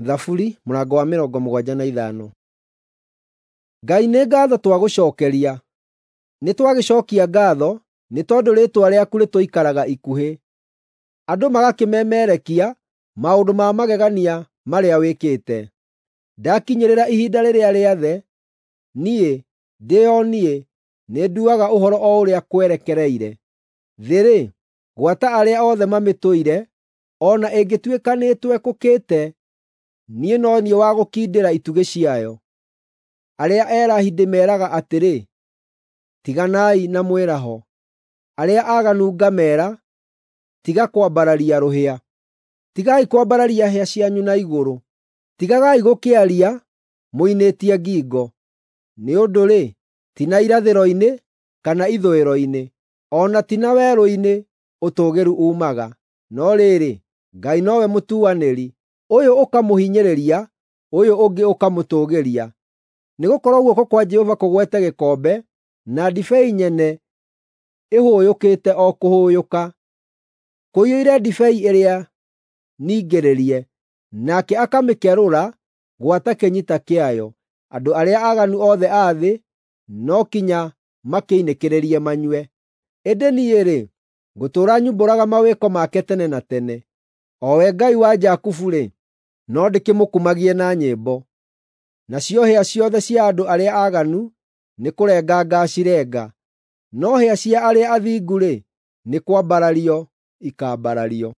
Thaburi mũrango wa 75. Ngai nĩ ngaatho twagũcookeria, nĩtwagĩcookia ngaatho nĩ tondũ rĩĩtwa rĩaku rĩtũikaraga ikuhĩ. Andũ magakĩmemerekia maũndũ ma magegania marĩa wĩkĩte. Ndakinyĩrĩra ihinda rĩrĩa rĩathe, niĩ, ndĩ o niĩ, nĩnduaga ũhoro o ũrĩa kwerekereire. Thĩ-rĩ, gwata arĩa othe mamĩtũire, o na ĩngĩtuĩka nĩĩtwekũkĩte, niĩ no niĩ wa gũkindĩra itugĩ ciayo. Arĩa erahi ndĩmeeraga atĩrĩ, ‘Tiganai na mwĩraho!’ Arĩa aaganu ngameera, ‘Tiga kwambararia rũhĩa!’ Tigai kwambararia hĩa cianyu na igũrũ; tigagai gũkĩaria mũinĩtie ngingo. Nĩ ũndũ-rĩ, ti na irathĩro-inĩ kana ithũĩro-inĩ, o na ti na werũ-inĩ ũtũũgĩru uumaga. No rĩrĩ, Ngai nowe mũtuanĩri, ũyũ ũkamũhinyĩrĩria, ũyũ ũngĩ ũkamũtũũgĩria. Nĩgũkorwo guoko kwa Jehova kũgwete gĩkombe, na ndibei nyene ĩhũyũkĩte o kũhũyũka. Kũiyũire ndibei ĩrĩa ningĩrĩrie, nake akamĩkerũra gwata kĩnyita kĩayo. Andũ arĩa aaganu othe a thĩ no kinya makĩinĩkĩrĩrie manyue. Ĩndĩ niĩ-rĩ, ngũtũũra nyumbũraga mawĩko make tene na tene. O we Ngai wa Jakubu-rĩ, no ndĩkĩmũkumagie na nyĩmbo. Nacio hĩa ciothe cia andũ arĩa aaganu nĩkũrenga ngaacirenga, no hĩa cia arĩa athingu-rĩ, nĩ kwambarario ikaambarario.